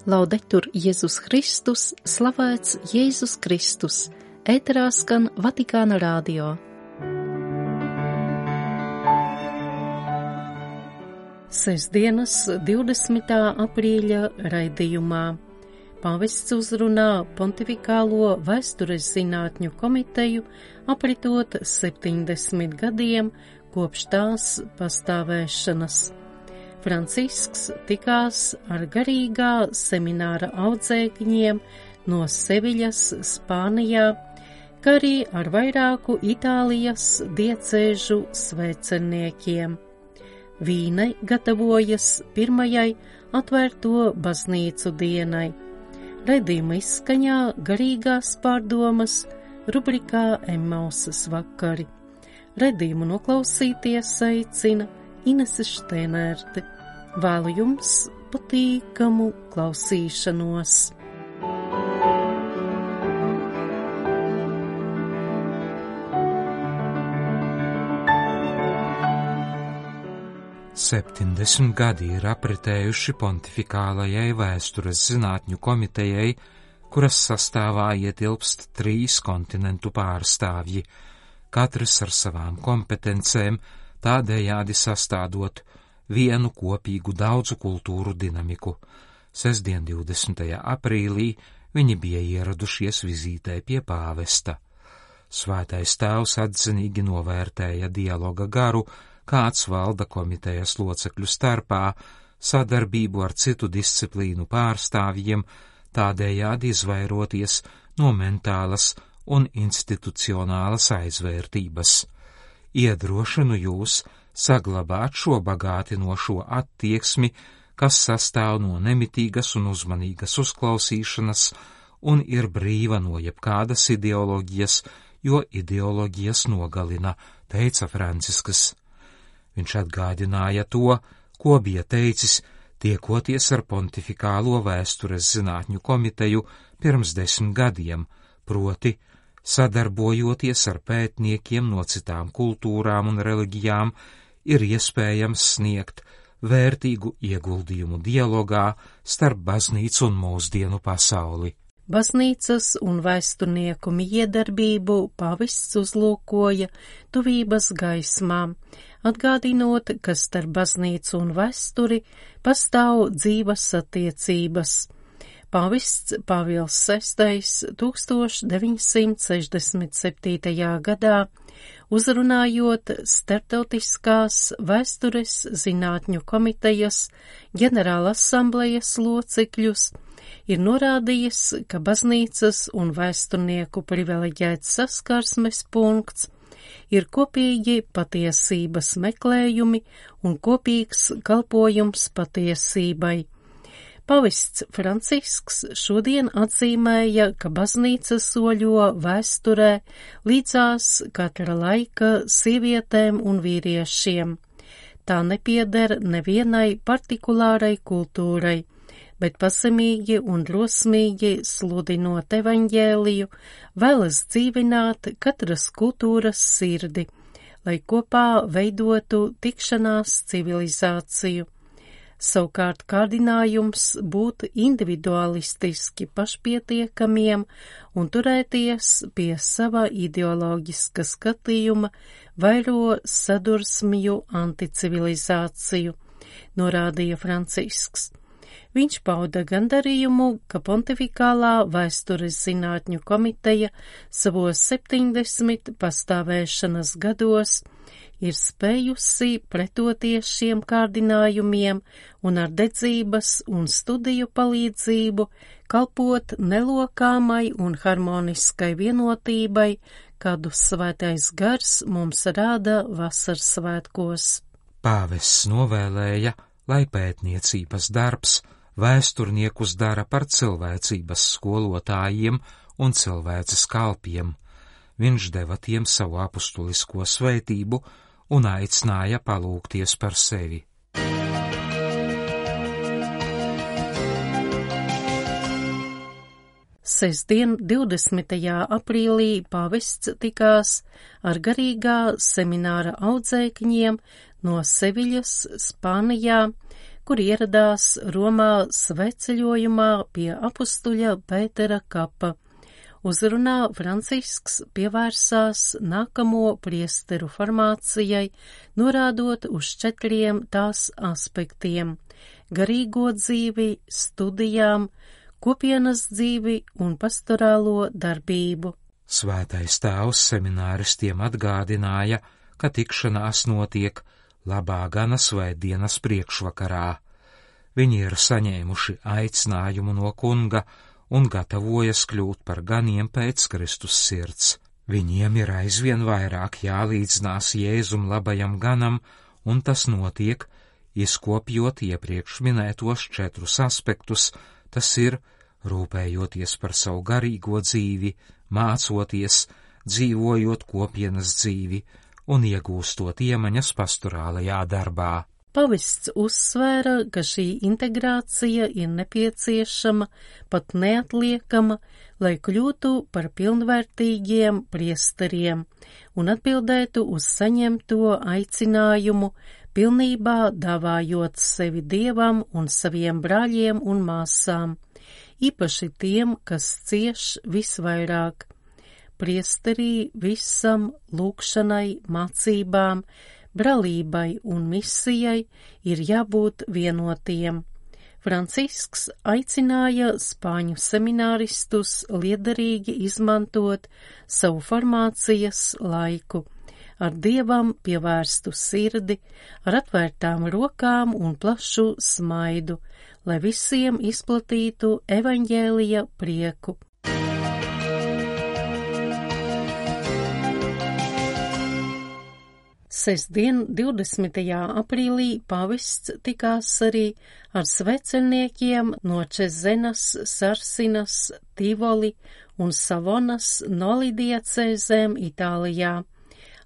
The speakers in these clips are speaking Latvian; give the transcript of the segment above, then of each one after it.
Laudetur Jēzus Kristus, slavēts Jēzus Kristus, ēterā skan Vatikāna radio. Sestdienas 20. aprīļa raidījumā pāvests uzrunā Pontifikālo vēstures zinātņu komiteju apritot 70 gadiem kopš tās pastāvēšanas. Francisks tikās ar garīgā semināra audzēkņiem no Seviļas, Spānijā, kā arī ar vairāku Itālijas diecēžu svēceniekiem. Vīnai gatavojas pirmajai atvērto baznīcu dienai. Raidījuma izskaņā garīgās pārdomas rubrikā Emmausas vakari. Raidījumu noklausīties aicina Inese Štēnērte. Vēlu jums patīkamu klausīšanos. Septiņdesmit gadi ir apritējuši Pontifikālajai vēstures zinātņu komitejai, kuras sastāvā ietilpst 3 kontinentu pārstāvji, katrs ar savām kompetencēm, tādējādi sastādot vienu kopīgu daudzu kultūru dinamiku. Sestdien 20. aprīlī viņi bija ieradušies vizītē pie pāvesta. Svētais tēvs atzinīgi novērtēja dialoga garu, kāds valda komitejas locekļu starpā, sadarbību ar citu disciplīnu pārstāvjiem, tādējādi izvairoties no mentālas un institucionālas aizvērtības. Iedrošinu jūs saglabāt šo bagātinošo attieksmi, kas sastāv no nemitīgas un uzmanīgas uzklausīšanas un ir brīva no jebkādas ideoloģijas, jo ideoloģijas nogalina, teica Francisks. Viņš atgādināja to, ko bija teicis, tiekoties ar Pontifikālo vēstures zinātņu komiteju pirms 10 gadiem, proti, sadarbojoties ar pētniekiem no citām kultūrām un reliģijām, ir iespējams sniegt vērtīgu ieguldījumu dialogā starp baznīcu un mūsdienu pasauli. Baznīcas un vēsturnieku miedarbību pāvests uzlūkoja tuvības gaismā, atgādinot, ka starp baznīcu un vēsturi pastāv dzīvas attiecības. Pāvests Pāvils VI 1967. gadā, uzrunājot Starptautiskās vēstures zinātņu komitejas ģenerāla asamblejas locekļus, ir norādījis, ka baznīcas un vēsturnieku privileģēts saskarsmes punkts ir kopīgi patiesības meklējumi un kopīgs kalpojums patiesībai. Pāvests Francisks šodien atzīmēja, ka baznīca soļo vēsturē līdzās katra laika sievietēm un vīriešiem. Tā nepieder nevienai partikulārai kultūrai, bet pazemīgi un drosmīgi sludinot evaņģēliju, vēlas dzīvināt katras kultūras sirdi, lai kopā veidotu tikšanās civilizāciju. Savukārt kārdinājums būt individualistiski pašpietiekamiem un turēties pie sava ideoloģiska skatījuma vairo sadursmju anticivilizāciju, norādīja Francisks. Viņš pauda gandarījumu, ka Pontifikālā vēstures zinātņu komiteja savos 70 pastāvēšanas gados ir spējusi pretoties šiem kārdinājumiem un ar dedzības un studiju palīdzību kalpot nelokāmai un harmoniskai vienotībai, kādu svētais gars mums rāda vasaras svētkos. Pāvests novēlēja, lai pētniecības darbs vēsturniekus dara par cilvēcības skolotājiem un cilvēces kalpiem. Viņš deva tiem savu apustulisko svētību un aicināja palūgties par sevi. Sestdien 20. aprīlī pāvests tikās ar garīgā semināra audzēkņiem no Seviļas, Spānijā, kur ieradās Romā svētceļojumā pie apustuļa Pētera kapa. Uzrunā Francisks pievērsās nākamo priesteru formācijai, norādot uz 4 tās aspektiem – garīgo dzīvi, studijām, kopienas dzīvi un pastorālo darbību. Svētais tēvs semināristiem atgādināja, ka tikšanās notiek labā gana svētdienas priekšvakarā. Viņi ir saņēmuši aicinājumu no kunga un gatavojas kļūt par ganiem pēc Kristus sirds. Viņiem ir aizvien vairāk jālīdzinās Jēzum labajam ganam, un tas notiek, izkopjot iepriekš minētos 4 aspektus, tas ir rūpējoties par savu garīgo dzīvi, mācoties, dzīvojot kopienas dzīvi un iegūstot iemaņas pastorālajā darbā. Pavests uzsvēra, ka šī integrācija ir nepieciešama, pat neatliekama, lai kļūtu par pilnvērtīgiem priesteriem un atbildētu uz saņemto aicinājumu, pilnībā dāvājot sevi Dievam un saviem brāļiem un māsām, īpaši tiem, kas cieš visvairāk. Priesterī visam, lūgšanai, mācībām, brālībai un misijai ir jābūt vienotiem. Francisks aicināja spāņu semināristus liederīgi izmantot savu formācijas laiku, ar Dievam pievērstu sirdi, ar atvērtām rokām un plašu smaidu, lai visiem izplatītu evaņģēlija prieku. Sestdien, 20. aprīlī, pavests tikās arī ar sveceļniekiem no Čezenas, Sarsinas, Tivoli un Savonas nolidiecēzēm Itālijā.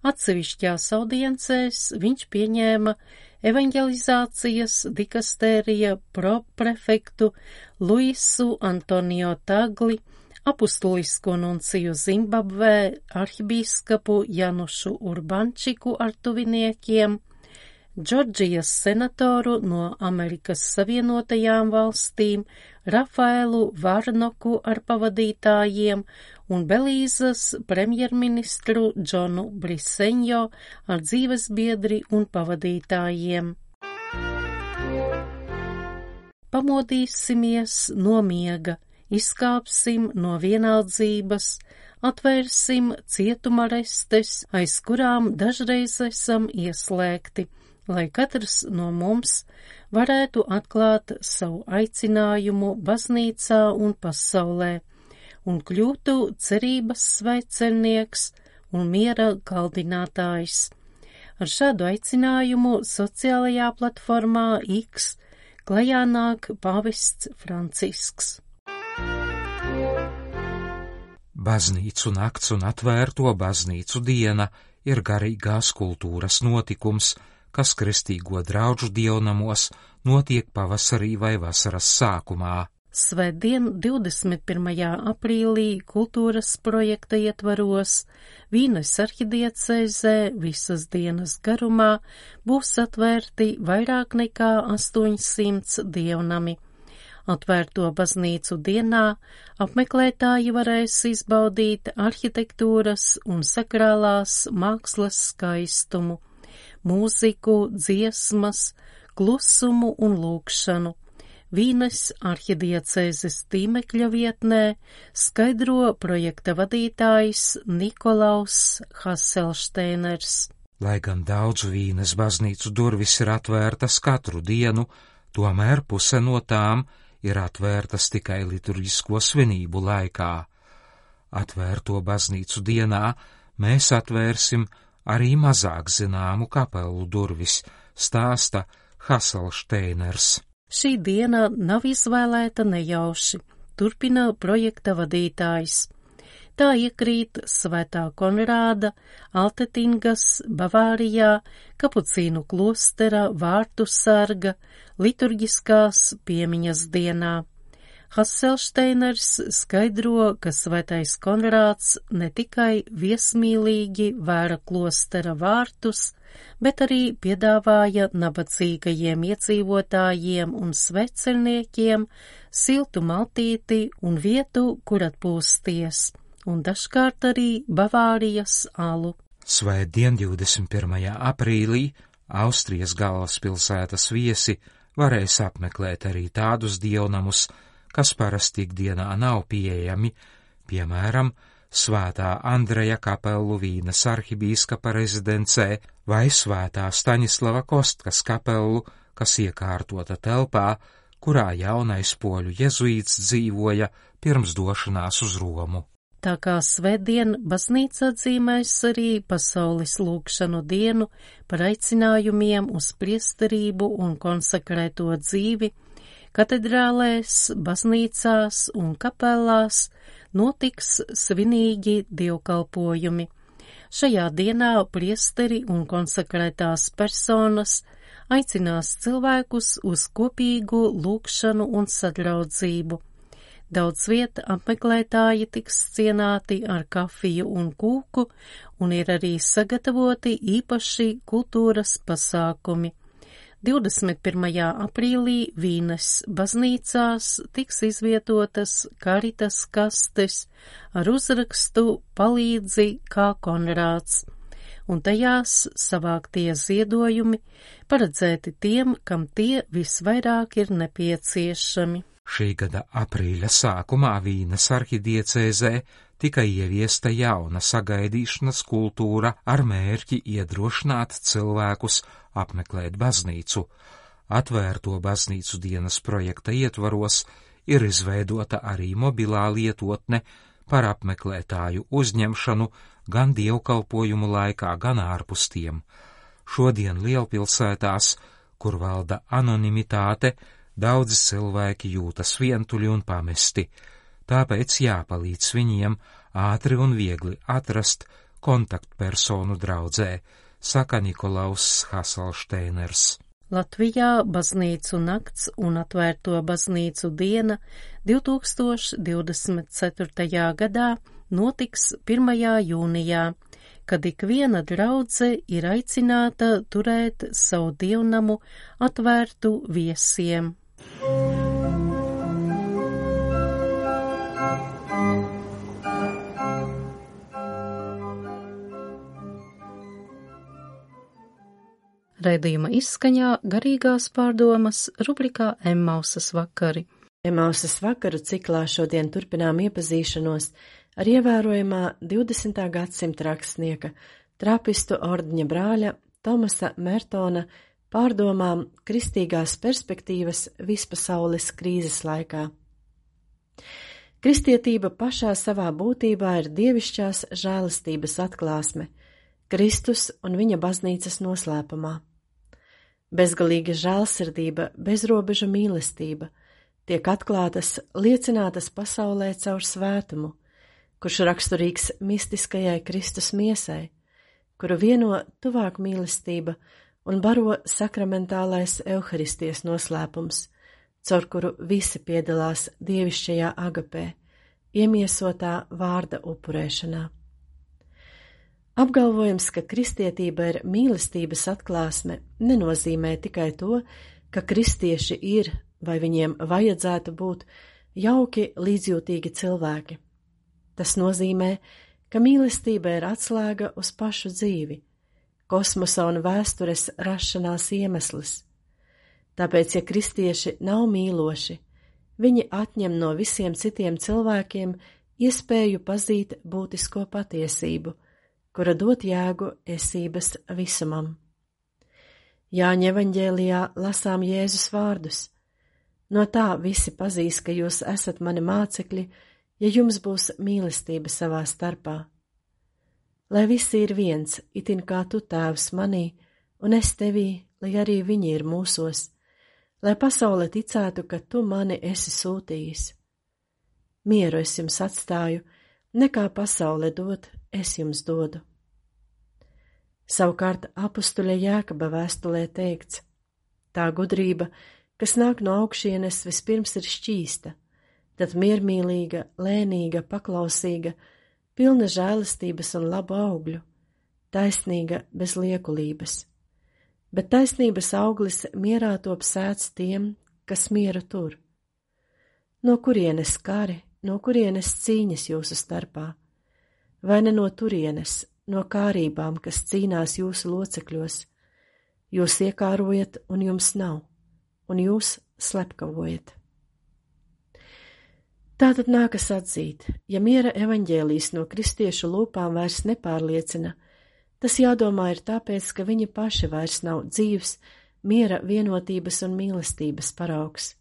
Atsevišķās audiencēs viņš pieņēma evaņģelizācijas dikastērija proprefektu Luisu Antonio Tagli, apustulisko nunciju Zimbabvē arhibīskapu Janušu Urbančiku ar tuviniekiem, Džordžijas senatoru no Amerikas Savienotajām valstīm Rafaelu Varnoku ar pavadītājiem un Belīzas premjerministru Džonu Briseņo ar dzīvesbiedri un pavadītājiem. Pamodīsimies no miega, izkāpsim no vienaldzības, atvērsim cietuma restes, aiz kurām dažreiz esam ieslēgti, lai katrs no mums varētu atklāt savu aicinājumu baznīcā un pasaulē un kļūtu cerības svētceļnieks un miera kaldinātājs. Ar šādu aicinājumu sociālajā platformā X klajā nāk pavests Francisks. Baznīcu nakts un atvērto baznīcu diena ir garīgās kultūras notikums, kas kristīgo draugu dievnamos notiek pavasarī vai vasaras sākumā. Svētdien, 21. aprīlī, kultūras projekta ietvaros Vīnes arhidiecēzē visas dienas garumā būs atvērti vairāk nekā 800 dievnami. Atvērto baznīcu dienā apmeklētāji varēs izbaudīt arhitektūras un sakrālās mākslas skaistumu, mūziku, dziesmas, klusumu un lūgšanu. Vīnes arhidiecēzes tīmekļa vietnē skaidro projekta vadītājs Nikolaus Haselšteiners. Lai gan daudz Vīnes baznīcu durvis ir atvērtas katru dienu, tomēr puse no tām ir atvērtas tikai liturģisko svinību laikā. Atvērto baznīcu dienā mēs atvērsim arī mazāk zināmu kapelu durvis, stāsta Haselšteiners. Šī diena nav izvēlēta nejauši, turpina projekta vadītājs. Tā iekrīt Svētā Konrāda, Altetingas, Bavārijā, Kapucīnu klostera vārtu sarga, liturģiskās piemiņas dienā. Hasselsteiners skaidro, ka svētais Konrāds ne tikai viesmīlīgi vēra klostera vārtus, bet arī piedāvāja nabadzīgajiem iedzīvotājiem un sveceļniekiem siltu maltīti un vietu, kur atpūsties, un dažkārt arī Bavārijas alu. Svētdien 21. aprīlī Austrijas galvaspilsētas viesi varēs apmeklēt arī tādus dievnamus, kas parasti ikdienā nav pieejami, piemēram, Svētā Andreja kapelu Vīnes arhibīskapa rezidencē vai Svētā Staņislava Kostkas kapelu, kas iekārtota telpā, kurā jaunais poļu jezuīts dzīvoja pirms došanās uz Romu. Tā kā svētdien baznīca atzīmēs arī pasaules lūgšanu dienu par aicinājumiem uz priesterību un konsekrēto dzīvi, katedrālēs, baznīcās un kapelās notiks svinīgi dievkalpojumi. Šajā dienā priesteri un konsekrētās personas aicinās cilvēkus uz kopīgu lūgšanu un sadraudzību. Daudz vieta apmeklētāji tiks cienāti ar kafiju un kūku, un ir arī sagatavoti īpaši kultūras pasākumi. 21. aprīlī Vīnes baznīcās tiks izvietotas karitas kastes ar uzrakstu Palīdzi kā Konrāds, un tajās savāktie ziedojumi paredzēti tiem, kam tie visvairāk ir nepieciešami. Šī gada aprīļa sākumā Vīnes arhidiecēzē tika ieviesta jauna sagaidīšanas kultūra ar mērķi iedrošināt cilvēkus apmeklēt baznīcu. Atvērto baznīcu dienas projekta ietvaros ir izveidota arī mobilā lietotne par apmeklētāju uzņemšanu gan dievkalpojumu laikā, gan ārpus tiem. Šodien lielpilsētās, kur valda anonimitāte, daudzi cilvēki jūtas vientuļi un pamesti, tāpēc jāpalīdz viņiem ātri un viegli atrast kontaktpersonu draudzē, saka Nikolaus Hasselsteiners. Latvijā baznīcu nakts un atvērto baznīcu diena 2024. gadā notiks 1. jūnijā, kad ikviena draudze ir aicināta turēt savu dievnamu atvērtu viesiem. Raidījuma izskaņā garīgās pārdomas rubrikā Emmausas vakari. Emmausas vakaru ciklā šodien turpinām iepazīšanos ar ievērojamā 20. gadsimta rakstnieka, trapistu ordeņa brāļa Tomasa Mertona pārdomām kristīgās perspektīvas vispasaules krīzes laikā. Kristietība pašā savā būtībā ir dievišķās žēlastības atklāsme, Kristus un viņa baznīcas noslēpumā. Bezgalīga žēlsirdība, bezrobeža mīlestība tiek atklātas, liecinātas pasaulē caur svētumu, kurš raksturīgs mistiskajai Kristus miesai, kuru vieno tuvāk mīlestība un baro sakramentālais Euharistijas noslēpums, caur kuru visi piedalās dievišķajā agapē, iemiesotā vārda upurēšanā. Apgalvojums, ka kristietība ir mīlestības atklāsme, nenozīmē tikai to, ka kristieši ir vai viņiem vajadzētu būt jauki, līdzjūtīgi cilvēki. Tas nozīmē, ka mīlestība ir atslēga uz pašu dzīvi, kosmosa un vēstures rašanās iemesls. Tāpēc, ja kristieši nav mīloši, viņi atņem no visiem citiem cilvēkiem iespēju pazīt būtisko patiesību, kura dot jēgu esības visumam. Jāņa evaņģēlijā lasām Jēzus vārdus. No tā visi pazīs, ka jūs esat mani mācekļi, ja jums būs mīlestība savā starpā. Lai visi ir viens, itin kā tu, Tēvs, manī, un es tevī, lai arī viņi ir mūsos, lai pasaule ticētu, ka tu mani esi sūtījis. Mieru es jums atstāju, nekā pasaule dod, es jums dodu. Savukārt apustuļa Jēkaba vēstulē teikts: tā gudrība, kas nāk no augšienes, vispirms ir šķīsta, tad miermīlīga, lēnīga, paklausīga, pilna žēlastības un labu augļu, taisnīga bez liekulības. Bet taisnības auglis mierā top sēts tiem, kas mieru tur. No kurienes kari, no kurienes cīņas jūsu starpā? Vai ne no turienes, no kārībām, kas cīnās jūsu locekļos? Jūs iekārojat, un jums nav, un jūs slepkavojat. Tātad nākas atzīt, ja miera evaņģēlijs no kristiešu lūpām vairs nepārliecina, tas jādomā ir tāpēc, ka viņi paši vairs nav dzīvs, miera, vienotības un mīlestības paraugs.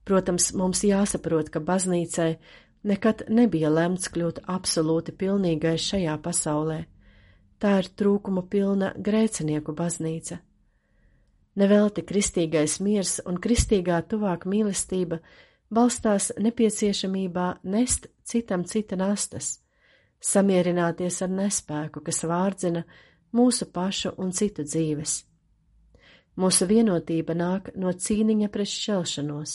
Protams, mums jāsaprot, ka baznīcai nekad nebija lemts kļūt absolūti pilnīgai šajā pasaulē. Tā ir trūkumu pilna grēcinieku baznīca. Nevelti kristīgais miers un kristīgā tuvāk mīlestība balstās nepieciešamībā nest citam cita nastas, samierināties ar nespēku, kas vārdzina mūsu pašu un citu dzīves. Mūsu vienotība nāk no cīniņa pret šķelšanos.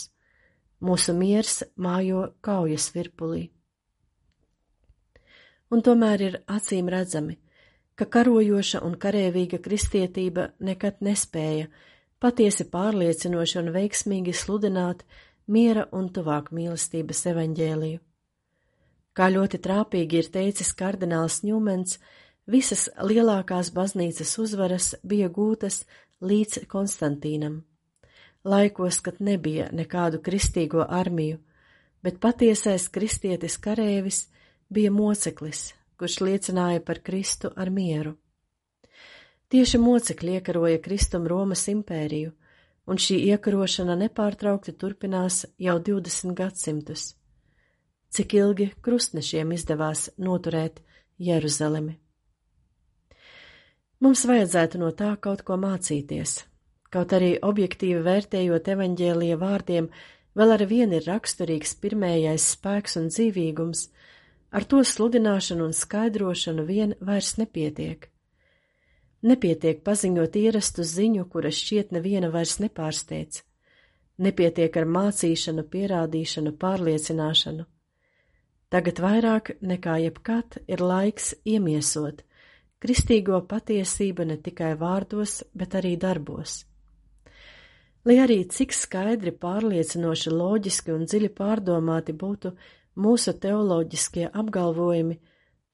Mūsu miers mājo kaujas virpulī. Un tomēr ir acīm redzami, ka karojoša un karēvīga kristietība nekad nespēja patiesi pārliecinoši un veiksmīgi sludināt miera un tuvāk mīlestības evaņģēliju. Kā ļoti trāpīgi ir teicis kardināls Ņūmens, visas lielākās baznīcas uzvaras bija gūtas līdz Konstantīnam. Laikos, kad nebija nekādu kristīgo armiju, bet patiesais kristietis karēvis bija moceklis, kurš liecināja par Kristu ar mieru. Tieši mocekļi iekaroja Kristum Romas impēriju, un šī iekarošana nepārtraukti turpinās jau 20 gadsimtus. Cik ilgi krustnešiem izdevās noturēt Jeruzalemi? Mums vajadzētu no tā kaut ko mācīties. Kaut arī objektīvi vērtējot evaņģēlija vārdiem, vēl ar vienu ir raksturīgs pirmējais spēks un dzīvīgums, ar to sludināšanu un skaidrošanu vien vairs nepietiek. Nepietiek paziņot ierastu ziņu, kura šķiet neviena vairs nepārsteidz. Nepietiek ar mācīšanu, pierādīšanu, pārliecināšanu. Tagad vairāk nekā jebkad ir laiks iemiesot kristīgo patiesību ne tikai vārdos, bet arī darbos. Lai arī cik skaidri, pārliecinoši, loģiski un dziļi pārdomāti būtu mūsu teoloģiskie apgalvojumi,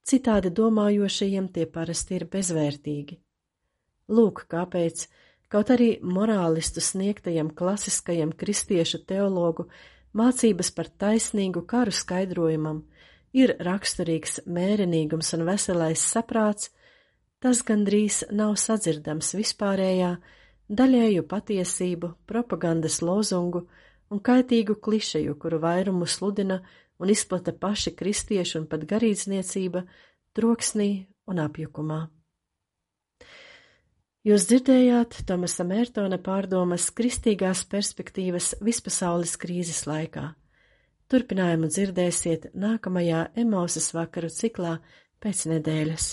citādi domājošajiem tie parasti ir bezvērtīgi. Lūk, kāpēc, kaut arī morālistu sniegtajam klasiskajam kristiešu teologu mācības par taisnīgu karu skaidrojumam ir raksturīgs mērenīgums un veselais saprāts, tas gandrīz nav sadzirdams vispārējā, daļēju patiesību, propagandas lozungu un kaitīgu klišeju, kuru vairumu sludina un izplata paši kristieši un pat garīdzniecība troksnī un apjukumā. Jūs dzirdējāt Tomasa Mērtona pārdomas kristīgās perspektīvas vispasaules krīzes laikā. Turpinājumu dzirdēsiet nākamajā Emausas vakaru ciklā pēc nedēļas.